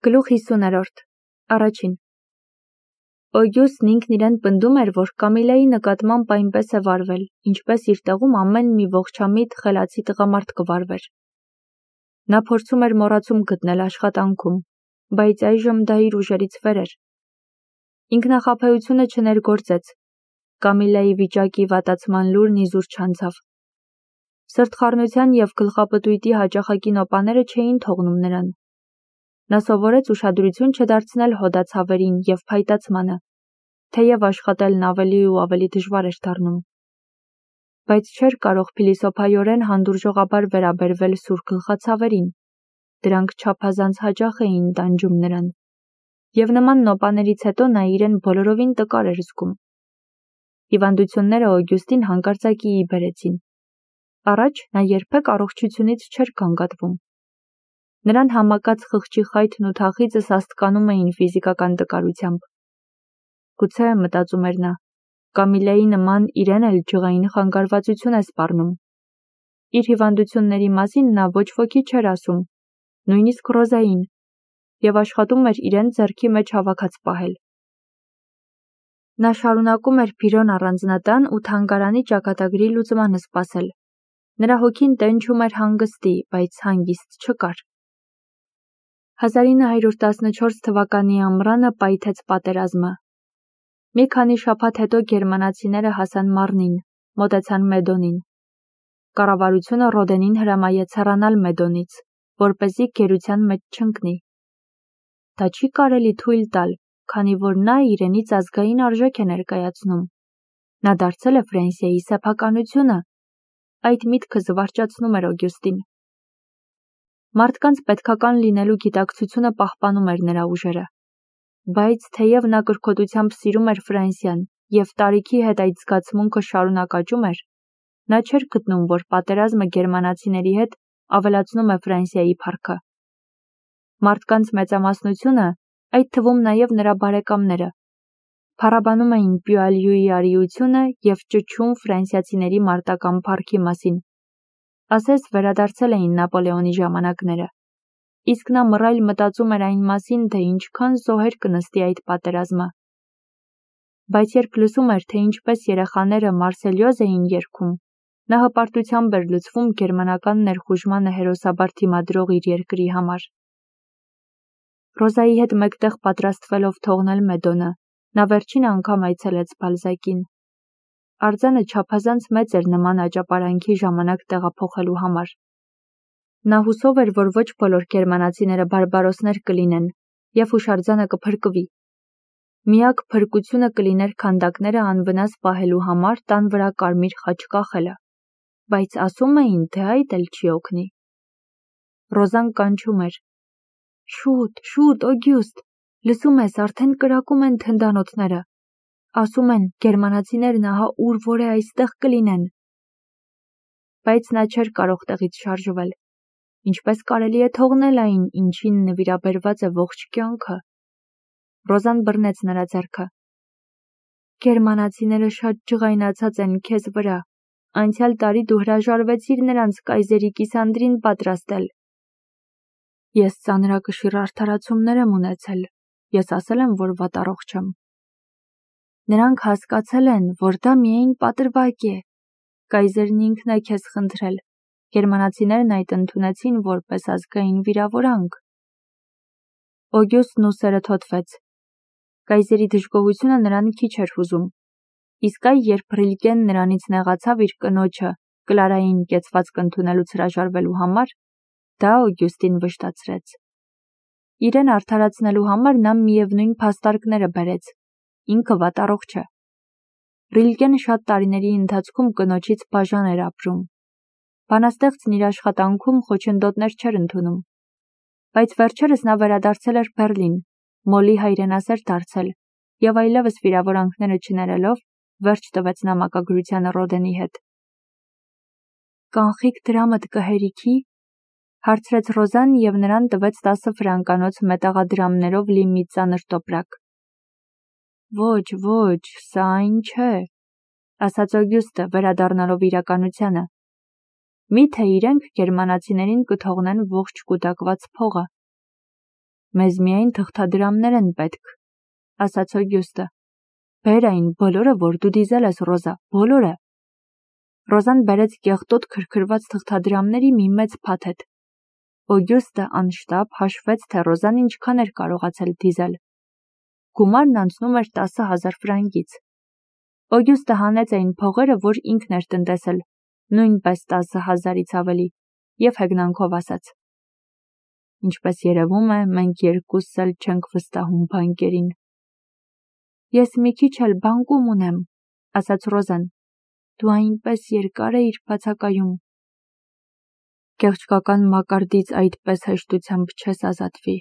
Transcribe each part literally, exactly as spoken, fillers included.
Գլուխ հիսուներորդ. Առաջին. Օգյուստն ինքն իրեն պնդում էր, որ Կամիլայի նկատմամբ այնպես է վարվել, ինչպես իր տեղում ամեն մի ողջամիտ, խելացի տղամարդ կվարվեր։ Նա փորձում էր մոռացում գտնել աշխատանքում, բայց այժմ դա իր ուժերից վեր էր։ Ինքնախաբեությունը չներգործեց, Կամիլայի վիճակի վատացման լուրն իզուր չանցավ։ Սրտխառնության և գլխապտույտի հաճախակի նոպաները չէին թողնում նրան։ Նա սովորեց ուշադրություն չդարձնել հոդացավերին և փայտացմանը, թեև աշխատելն ավելի ու ավելի դժվար էր դառնում։ Բայց չէր կարող փիլիսոփայորեն հանդուրժողաբար վերաբերվել սուր գլխացավերին, դրանք չափազանց հաճախ էին տանջում նրան, և նման նոպաներից հետո նա իրեն բոլորովին տկար էր զգում։ Հիվանդությունները Օգյուստին հանկարծակիի բերեցին։ Առաջ նա երբեք առողջությունից չէր գանգատվում։ Նրան համակած խղճի խայթն ու թախիծը սաստկանում էին ֆիզիկական տկարությամբ։ Գուցե, մտածում էր նա, Կամիլայի նման իրեն էլ ջղային խանգարվածություն է սպառնում։ Իր հիվանդությունների մասին նա ոչ ոքի չէր ասում, նույնիսկ Ռոզային, և աշխատում էր իրեն ձեռքի մեջ հավաքած պահել։ Նա շարունակում էր Բիրոն առանձնատան ու թանգարանի ճակատագրի լուծմանը սպասել։ Նրա հոգին տենչում էր հանգստի, բայց հանգիստ չկար։ հազար ինը հարյուր տասնչորս թվականի ամռանը պայթեց պատերազմը։ Մի քանի շաբաթ հետո գերմանացիները հասան Մարնին, մոտեցան Մեդոնին։ Կառավարությունը Ռոդենին հրամայեց հեռանալ Մեդոնից, որպեսզի գերության մեջ չընկնի։ Դա չի կարելի թույլ տալ, քանի որ նա իրենից ազգային արժեք է ներկայացնում։ Նա դարձել է Ֆրանսիայի սեփականությունը։ Այդ միտքը զվարճացնում էր Օգյուստին։ Մարդկանց պետքական լինելու գիտակցությունը պահպանում էր նրա ուժերը։ Բայց թեև նա կրկոտությամբ սիրում էր Ֆրանսիան և տարիքի հետ այդ զգացմունքը շարունակ աճում էր, նա չէր գտնում, որ պատերազմը գերմանացիների հետ ավելացնում է Ֆրանսիայի փառքը։ Մարդկանց մեծամասնությունը, այդ թվում նաև նրա բարեկամները, փառաբանում էին Պյուալյուի արիությունը և ճչում ֆրանսիացիների մարտական փառքի մասին։ Ասես վերադարձել էին Նապոլեոնի ժամանակները։ Իսկ նա մռայլ մտածում էր այն մասին, թե ինչքան զոհեր կնստի այդ պատերազմը։ Բայց երբ լսում էր, թե ինչպես երեխաները Մարսելյոզ էին երգում, նա հպարտությամբ էր լցվում գերմանական ներխուժմանը հերոսաբար դիմադրող իր երկրի համար։ Ռոզայի հետ մեկտեղ պատրաստվելով թողնել Մեդոնը, նա վերջին անգամ այցելեց Բալզակին։ Արձանը չափազանց մեծ էր նման աճապարանքի ժամանակ տեղափոխելու համար։ Նա հուսով էր, որ ոչ բոլոր գերմանացիները բարբարոսներ կլինեն, և հուշարձանը կփրկվի։ Միակ փրկությունը կլիներ քանդակները անվնաս պահելու համար տան վրա կարմիր խաչ կախելը, բայց ասում էին, թե այդ էլ չի օգնի։ Ռոզան կանչում էր. «Շուտ, շուտ, Օգյուստ, լսում ես, արդեն կրակում են թնդանոթները։ Ասում են, գերմանացիներն ահա ուր որ է այստեղ կլինեն»։ Բայց նա չէր կարող տեղից շարժվել։ Ինչպես կարելի է թողնել այն, ինչին նվիրաբերված է ողջ կյանքը։ Ռոզան բռնեց նրա ձեռքը։ Գերմանացիները շատ ջղայնացած են քեզ վրա։ Անցյալ տարի դու հրաժարվեցիր նրանց կայզերի կիսանդրին պատրաստել։ Ես ծանրակշիռ արդարացումներ եմ ունեցել։ Ես ասել եմ, որ վատառողջ եմ։ Նրանք հասկացել են, որ դա միայն պատրվակ է։ Կայզերն ինքն է քեզ խնդրել։ Գերմանացիներն այդ ընդունեցին որպես ազգային վիրավորանք։ Օգյուստն ուսերը թոթվեց։ Կայզերի դժգոհությունը նրան քիչ էր հուզում։ Իսկ այ երբ Ռիլկեն նրանից նեղացավ իր կնոջը Կլարային կեցվածք ընդունելուց հրաժարվելու համար, դա Օգյուստին վշտացրեց։ Իրեն արդարացնելու համար նա միևնույն փաստարկները բերեց։ Ինքը վատառողջ է։ Ռիլկեն շատ տարիների ընթացքում կնոջից բաժան էր ապրում։ Բանաստեղծն իր աշխատանքում խոչընդոտներ չէր ընդունում։ Բայց վերջերս նա վերադարձել էր Բեռլին, Մոլի հայրենասեր դարձել և այլևս վիրավորանքները չներելով վերջ տվեց նամակագրությանը Ռոդենի հետ։ Կանխիկ դրամդ կհերիքի, հարցրեց Ռոզան և նրան տվեց տասը ֆրանկանոց մետաղադրամներով լի մի ծանր տոպրակ։ Ոչ, ոչ, սա այն չէ, ասաց Օգյուստը, վերադառնալով իրականությանը։ Միթե իրենք գերմանացիներին կթողնեն ողջ կուտակված փողը։ Մեզ միայն թղթադրամներ են պետք, ասաց Օգյուստը։ Բեր այն բոլորը, որ դու դիզել ես, Ռոզա, բոլորը։ Ռոզան բերեց կեղտոտ քրքրված թղթադրամների մի մեծ փաթեթ։ Օգյուստը անշտապ հաշվեց, թե Ռոզան ինչքան էր կարողացել դիզել։ Գումարն անցնում էր տասը հազար ֆրանկից։ Օգյուստը հանեց այն փողերը, որ ինքն էր տնտեսել, նույնպես տասը հազարից ավելի, և հեգնանքով ասաց. Ինչպես երևում է, մենք երկուսս էլ չենք վստահում բանկերին։ Ես մի քիչ էլ բանկում ունեմ, ասաց Ռոզան։ Դու այնպես երկար էիր բացակայում։ Կեղճկական մակարդից այդպես հեշտությամբ չես ազատվի,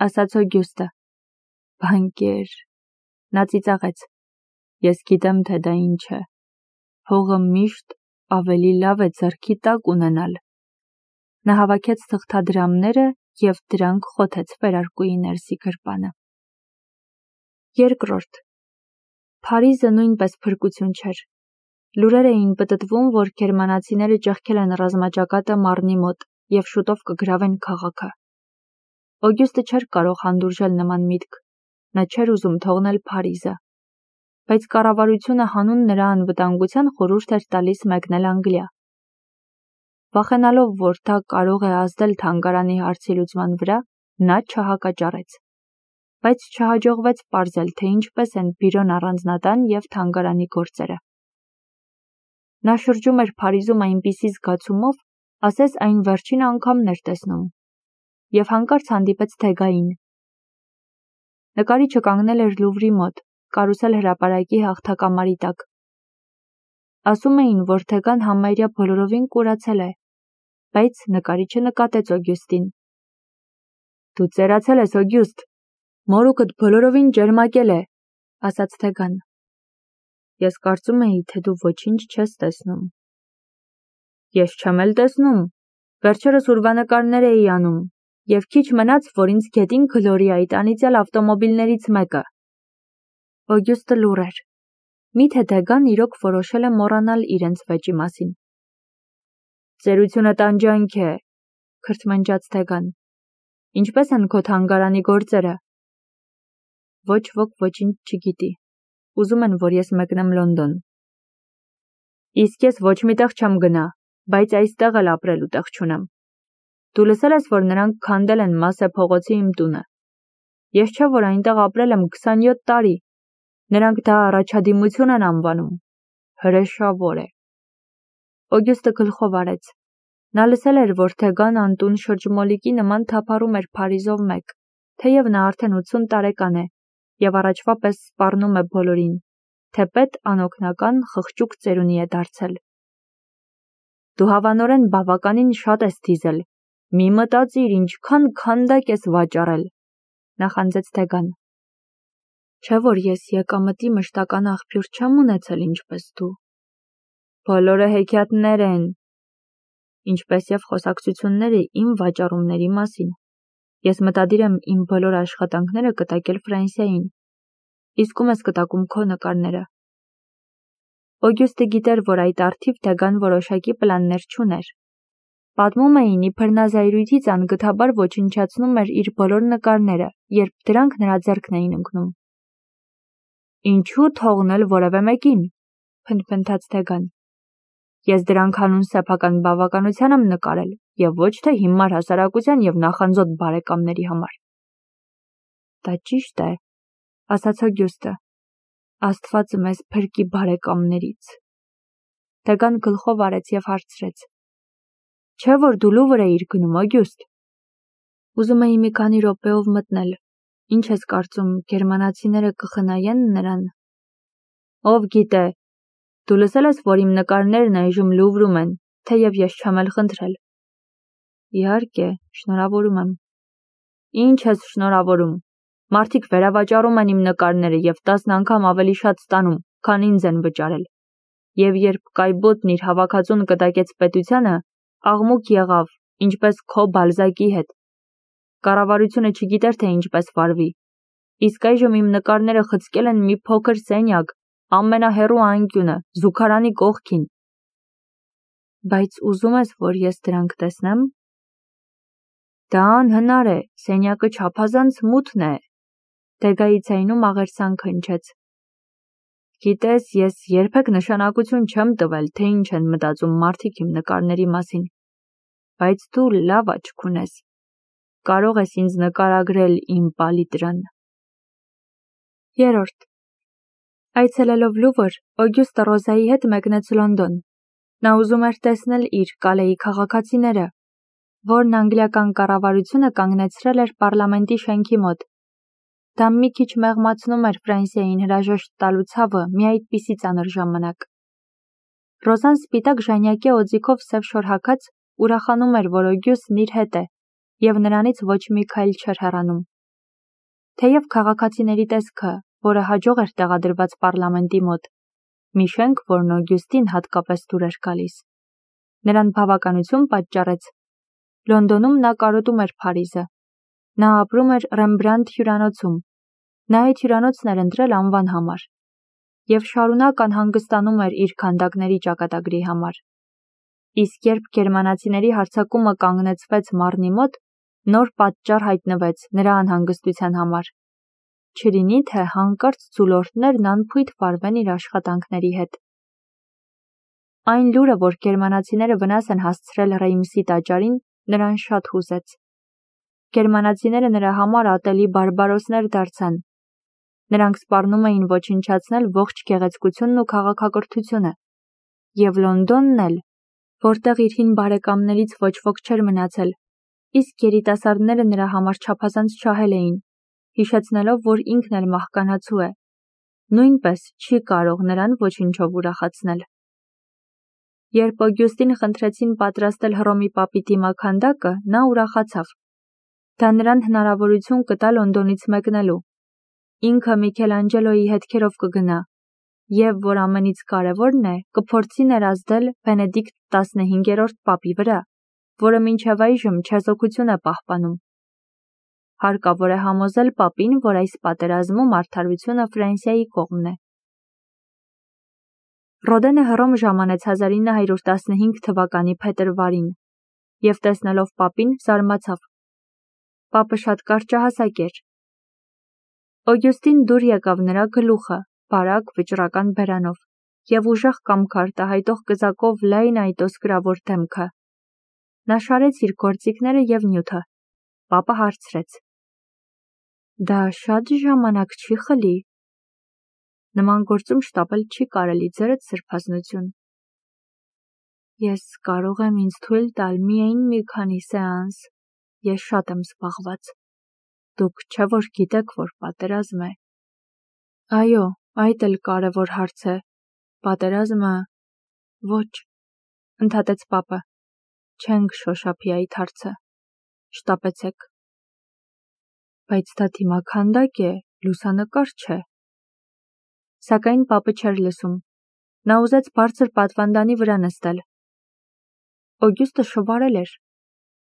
ասաց Օգյուստը։ Բանկեր, նա ծիծաղեց։ Ես գիտեմ, թե դա ինչ է։ Հողը միշտ ավելի լավ է ձեռքի տակ ունենալ։ Նա հավաքեց թղթադրամները և դրանք խոթեց վերարկուի ներսի գրպանը։ Երկրորդ. Փարիզը նույնպես փրկություն չէր։ Լուրեր էին պտտվում, որ գերմանացիները ճեղքել են ռազմաճակատը Մարնի մոտ և շուտով կգրավեն քաղաքը։ Օգյուստը չէր կարող հանդուրժել նման միտք։ Նա չէր ուզում թողնել Փարիզը։ Բայց կառավարությունը հանուն նրա անվտանգության խորհուրդ էր տալիս մեկնել Անգլիա։ Վախենալով, որ դա կարող է ազդել թանգարանի հարցի լուծման վրա, նա չհակաճառեց։ Բայց չհաջողվեց պարզել, թե ինչպես են բյուրոն առանձնատան և թանգարանի գործերը։ Նա շրջում էր Փարիզում այնպիսի զգացումով, ասես այն վերջին անգամն էր տեսնում, և հանկարծ հանդիպեց Թեգային։ Նկարիչը կանգնել էր Լուվրի մոտ, կարուսել հրապարակի հաղթակամարի տակ։ Ասում էին, որ Թեգան համարյա բոլորովին կուրացել է, բայց նկարիչը նկատեց Օգյուստին։ Դու ծերացել ես, Օգյուստ, մորուքդ բոլորովին ջերմակել է, ասաց Թեգան։ Ես կարծում էի, թե դու ոչինչ չես տեսնում։ Ես չեմ էլ տեսնում, վերջերս ուրվանկարներ էի անում, և քիչ մնաց, որ ինձ գետին Գլորիայի տանիծյալ ավտոմոբիլներից մեկը։ Օգյուստը լուռ էր։ Միթե Թեգան իրոք որոշել է մոռանալ իրենց վեճի մասին։ Ծերությունը տանջանք է, քրթմնջաց Թեգան։ Ինչպես են քո թանգարանի գործերը։ Ոչ ոք ոչինչ չգիտի։ Ուզում են, որ ես մեկնեմ Լոնդոն։ Իսկ ես ոչ մի տեղ չեմ գնա, բայց այստեղ էլ ապրելու տեղ չունեմ։ Դու լսել ես, որ նրանք քանդել են Մասե փողոցի իմ տունը։ Ես չէ, որ այնտեղ ապրել եմ քսանյոթ տարի։ Նրանք դա առաջադիմություն են անվանում։ Հրեշավոր է։ Օգյուստը գլխով արեց։ Նա լսել էր, որ Թեգան անտուն շրջմոլիկի նման թափառում էր Փարիզով մեկ, թեև նա արդեն ութսուն տարեկան է և առաջվա պես սպառնում է բոլորին, թեպետ անօգնական խղճուկ ծերունի է դարձել։ Դու հավանորեն բավականին շատ ես դիզել, մի մտածիր, ինչքան քանդակ ես վաճառել, նախանձեց Թեգան։ Չէ՞ որ ես եկամտի մշտական աղբյուր չեմ ունեցել ինչպես դու։ Բոլորը հեքիաթներ են, ինչպես և խոսակցությունները իմ վաճառումների մասին։ Ես մտադիր եմ իմ բոլոր աշխատանքները կտակել Ֆրանսիային, իսկում ես կտակում քո նկարները։ Օգյուստը գիտեր, որ այդ առթիվ Թեգան որոշակի պլաններ չուներ։ Պատմում էին, իբր նա զայրույթից անգթաբար ոչնչացնում էր իր բոլոր նկարները, երբ դրանք նրա ձեռքն էին ընկնում։ Ինչու թողնել որևէ մեկին, փնթփնթաց Թեգան։ Ես դրանք հանուն սեփական բավականության եմ նկարել և ոչ թե հիմար հասարակության և նախանձոտ բարեկամների համար։ Դա ճիշտ է, ասաց Օգյուստը։ Աստված մեզ փրկի բարեկամներից։ Թեգան գլխով արեց և հարցրեց. Չէ՞ որ դու Լուվր էիր գնում, Օգյուստ։ Ուզում էի մի քանի րոպեով մտնել։ Ինչ ես կարծում, գերմանացիները կխնայեն նրան։ Ով գիտե։ Դու լսել ես, որ իմ նկարներն այժմ Լուվրում են, թեև ես չեմ էլ խնդրել։ Իհարկե, շնորհավորում եմ։ Ինչ ես շնորհավորում։ Մարդիկ վերավաճառում են իմ նկարները և տասն անգամ ավելի շատ ստանում, քան ինձ են վճարել։ Եվ երբ Կայբոտն իր հավաքածուն կտակեց պետությանը, աղմուկ եղավ, ինչպես քո Բալզակի հետ։ Կառավարությունը չգիտեր, թե ինչպես վարվի։ Իսկ այժմ իմ նկարները խցկել են մի փոքր սենյակ, ամենահեռու անկյունը, զուգարանի կողքին։ Բայց ուզում ես, որ ես դրանք տեսնեմ։ Դա անհնար է, սենյակը չափազանց մութն է, Տեգայի ձայնում աղերսանք հնչեց։ Գիտես, ես երբեք նշանակություն չեմ տվել, թե ինչ են մտածում մարդիկ իմ նկարների մասին, բայց դու լավ աչք ունես, կարող ես ինձ նկարագրել իմ պալիտրան։ Երորդ Այցելելով Լուվր, Օգյուստը Ռոզայի հետ մեկնեց Լոնդոն։ Նա ուզում էր տեսնել իր Կալեի քաղաքացիները, որն անգլիական կառավարությունը կանգնեցրել էր պարլամենտի շենքի մոտ։ Դա մի քիչ մեղմացնում էր Ֆրանսիային հրաժեշտ տալու ցավը մի այդպիսի ծանր ժամանակ։ Ռոզան սպիտակ ժանյակի օձիքով սև շոր հագած ուրախանում էր, որ Օգյուստն իր հետ է, և նրանից ոչ մի քայլ չէր հեռանում։ Թեև քաղաքացիների տեսքը, որը հաջող էր տեղադրված պարլամենտի մոտ, մի շենք, որն Օգյուստին հատկապես դուր էր գալիս, նրան բավականություն պատճառեց։ Լոնդոնում նա կարոտում էր Փարիզը։ Նա ապրում էր Ռեմբրանդ հյուրանոցում։ Նա այդ հյուրանոցն էր ընտրել անվան համար և շարունակ անհանգստանում էր իր քանդակների ճակատագրի համար։ Իսկ երբ գերմանացիների հարձակումը կանգնեցվեց Մարնի մոտ, նոր պատճառ հայտնվեց նրա անհանգստության համար։ Չլինի, թե հանկարծ ձուլորդներն անփույթ վարվեն իր աշխատանքների հետ։ Այն լուրը, որ գերմանացիները վնաս են հասցրել Ռեյմսի տաճարին, նրան շատ հուզեց։ Գերմանացիները նրա համար ատելի բարբարոսներ դարձան։ Նրանք սպառնում էին ոչնչացնել ողջ գեղեցկությունն ու քաղաքակրթությունը։ Եվ Լոնդոնն էլ, որտեղ իր հին բարեկամներից ոչ ոք չէր մնացել, իսկ երիտասարդները նրա համար չափազանց ջահել էին, հիշեցնելով, որ ինքն էլ մահկանացու է, նույնպես չի կարող նրան ոչնչով ուրախացնել։ Երբ Օգյուստին խնդրեցին պատրաստել Հռոմի պապի դիմաքանդակը, նա ուրախացավ։ Դա նրան հնարավորություն կտա Լոնդոնից մեկնելու։ Ինքը Միքելանջելոյի հետքերով կգնա, և, որ ամենից կարևորն է, կփորձի ներազդել Բենեդիկտ տասնհինգերորդ պապի վրա, որը մինչև այժմ չեզոքություն է պահպանում։ Հարկավոր է համոզել պապին, որ այս պատերազմում արդարությունը Ֆրանսիայի կողմն է։ Ռոդենը Հռոմ ժամանեց հազար ինը հարյուր տասնհինգ թվականի փետրվարին և տեսնելով պապին զարմացավ։ Պապը շատ կարճահասակ էր։ Օգյուստին դուր եկավ նրա գլուխը, բարակ վճռական բերանով, և ուժեղ կամք արտահայտող կզակով լայն այտոսկրավոր դեմքը։ Նա շարեց իր գործիքները և նյութը։ Պապը հարցրեց. Դա շատ ժամանակ չի խլի։ Նման գործում շտապել չի կարելի, ձերդ սրբազնություն։ Ես կարող եմ ինձ թույլ տալ միայն մի քանի սեանս, ես շատ եմ զբաղված։ Դուք չէ՞ որ գիտեք, որ պատերազմ է։ Այո, այդ էլ կարևոր հարց է։ Պատերազմը… Ոչ, ընդհատեց պապը։ Չենք շոշափի այդ հարցը։ Շտապեցեք։ Բայց դա դիմաքանդակ է, լուսանկար չէ։ Սակայն պապը չէր լսում։ Նա ուզեց բարձր պատվանդանի վրա նստել։ Օգյուստը շվարել էր։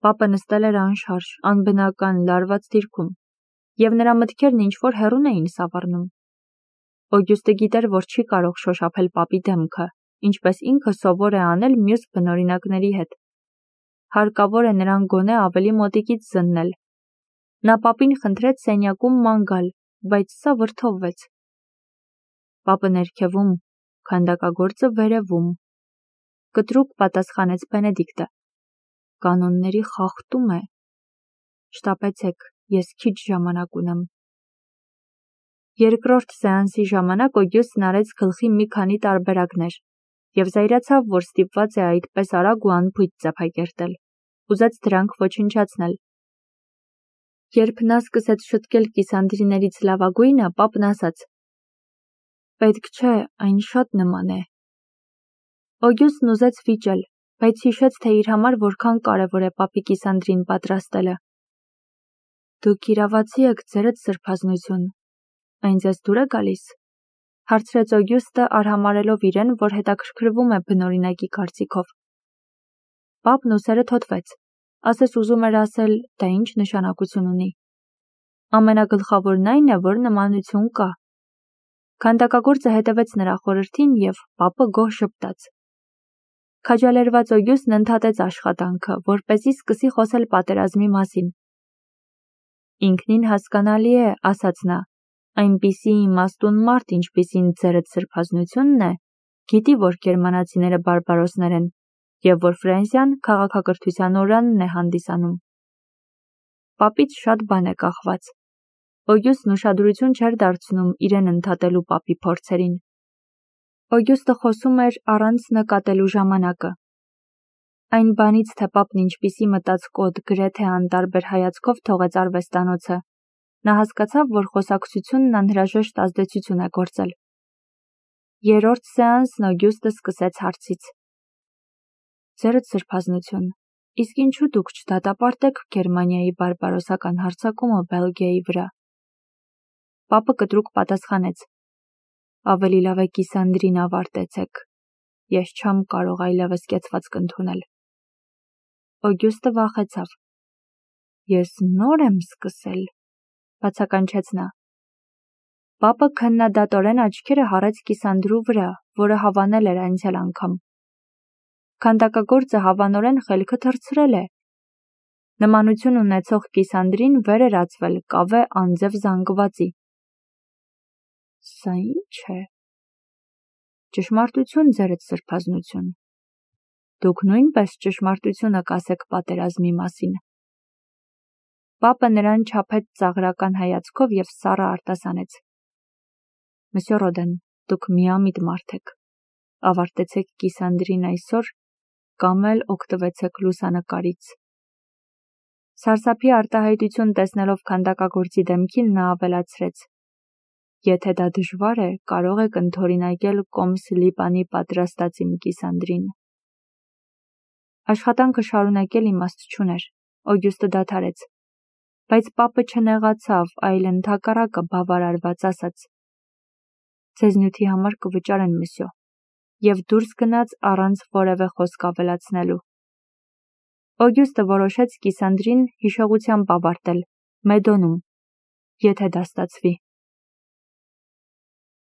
Պապը նստել էր անշարժ, անբնական, լարված դիրքում, և նրա մտքերն ինչ-որ հեռուն էին սավառնում։ Օգյուստը գիտեր, որ չի կարող շոշափել պապի դեմքը, ինչպես ինքը սովոր է անել մյուս բնօրինակների հետ։ Հարկավոր է նրան գոնե ավելի մոտիկից զննել։ Նա պապին խնդրեց սենյակում ման գալ, բայց սա վրդովվեց։ Պապը ներքևում, քանդակագործը վերևում, կտրուկ պատասխանեց Բենեդիկտը։ Կանոնների խախտում է։ Շտապեցեք, ես քիչ ժամանակ ունեմ։ Երկրորդ սեանսի ժամանակ Օգյուստն արեց գլխի մի քանի տարբերակներ և զայրացավ, որ ստիպված է այդպես արագ ու անփույթ ձևակերտել, ուզեց դրանք ոչնչացնել։ Երբ նա սկսեց շտկել կիսանդրիներից լավագույնը, պապն ասաց. Պետք չէ, այն շատ նման է։ Օգյուստն ուզեց վիճել, բայց հիշեց, թե իր համար որքան կարևոր է պապի կիսանդրին պատրաստելը։ Դուք իրավացի եք, ձերդ սրբազնություն։ Այն ձեզ դուր է գալիս, հարցրեց Օգյուստը, արհամարհելով իրեն, որ հետաքրքրվում է բնօրինակի կարծիքով։ Պապն ուսերը թոթվեց, ասես ուզում էր ասել, դա ինչ նշանակություն ունի։ Ամենագլխավորն այն է, որ նմանություն կա։ Քանդակագործը հետևեց նրա խորհրդին և պապը գոհ ժպտաց։ Քաջալերված Օգյուստն ընդհատեց աշխատանքը, որպեսզի սկսի խոսել պատերազմի մասին։ Ինքնին հասկանալի է, ասաց նա, այնպիսի իմաստուն մարդ, ինչպիսին ձերդ սրբազնությունն է, գիտի, որ գերմանացիները բարբարոսներ են, և որ Ֆրանսիան քաղաքակրթության օրանն է հանդիսանում։ Պապից շատ բան է կախված։ Օգյուստն ուշադրություն չէր դարձնում իրեն ընդհատելու պապի փորձերին։ Օգյուստը խոսում էր առանց նկատելու ժամանակը։ Այն բանից, թե պապն ինչպիսի մտածկոտ, գրեթե անտարբեր հայացքով թողեց արվեստանոցը, նա հասկացավ, որ խոսակցությունն անհրաժեշտ ազդեցություն է գործել։ Երրորդ սեանսն Օգյուստը սկսեց հարցից. Ձերդ սրբազնություն, իսկ ինչու դուք չդատապարտեք Գերմանիայի բարբարոսական հարձակումը Բելգիայի վրա։ Պապը կտրուկ պատասխանեց. Ավելի լավ է կիսանդրին ավարտեցեք։ Ես չեմ կարող այլևս կեցվածք ընդունել։ Օգյուստը վախեցավ։ Ես նոր եմ սկսել, բացականչեց նա։ Պապը քննադատորեն աչքերը հառեց կիսանդրու վրա, որը հավանել էր անցյալ անգամ։ Քանդակագործը հավանորեն խելքը թռցրել է։ Նմանություն ունեցող կիսանդրին վեր էր ածվել կավե անձև զանգվածի։ Սա ի՞նչ է։ Ճշմարտություն, ձերդ սրբազնություն։ Դուք նույնպես ճշմարտությունը կասեք պատերազմի մասին։ Պապը նրան չափեց ծաղրական հայացքով և սառը արտասանեց. Մսյո Ռոդեն, դուք միամիտ մարդ եք։ Ավարտեցեք կիսանդրին այսօր կամ էլ օգտվեցեք լուսանկարից։ Սարսափի արտահայտություն տեսնելով քանդակագործի դեմքին նա ավելացրեց. Եթե դա դժվար է, կարող եք ընդօրինակել կոմս Լիպանի պատրաստած իմ կիսանդրին։ Աշխատանքը շարունակել իմաստ չուներ։ Օգյուստը դադարեց։ Բայց պապը չնեղացավ, այլ ընդհակառակը բավարարված ասաց. Ձեզ նյութի համար կվճարեն, մսյո, և դուրս գնաց առանց որևէ խոսք ավելացնելու։ Օգյուստը որոշեց կիսանդրին հիշողությամբ ավարտել, Մեդոնում, եթե դա ստացվի։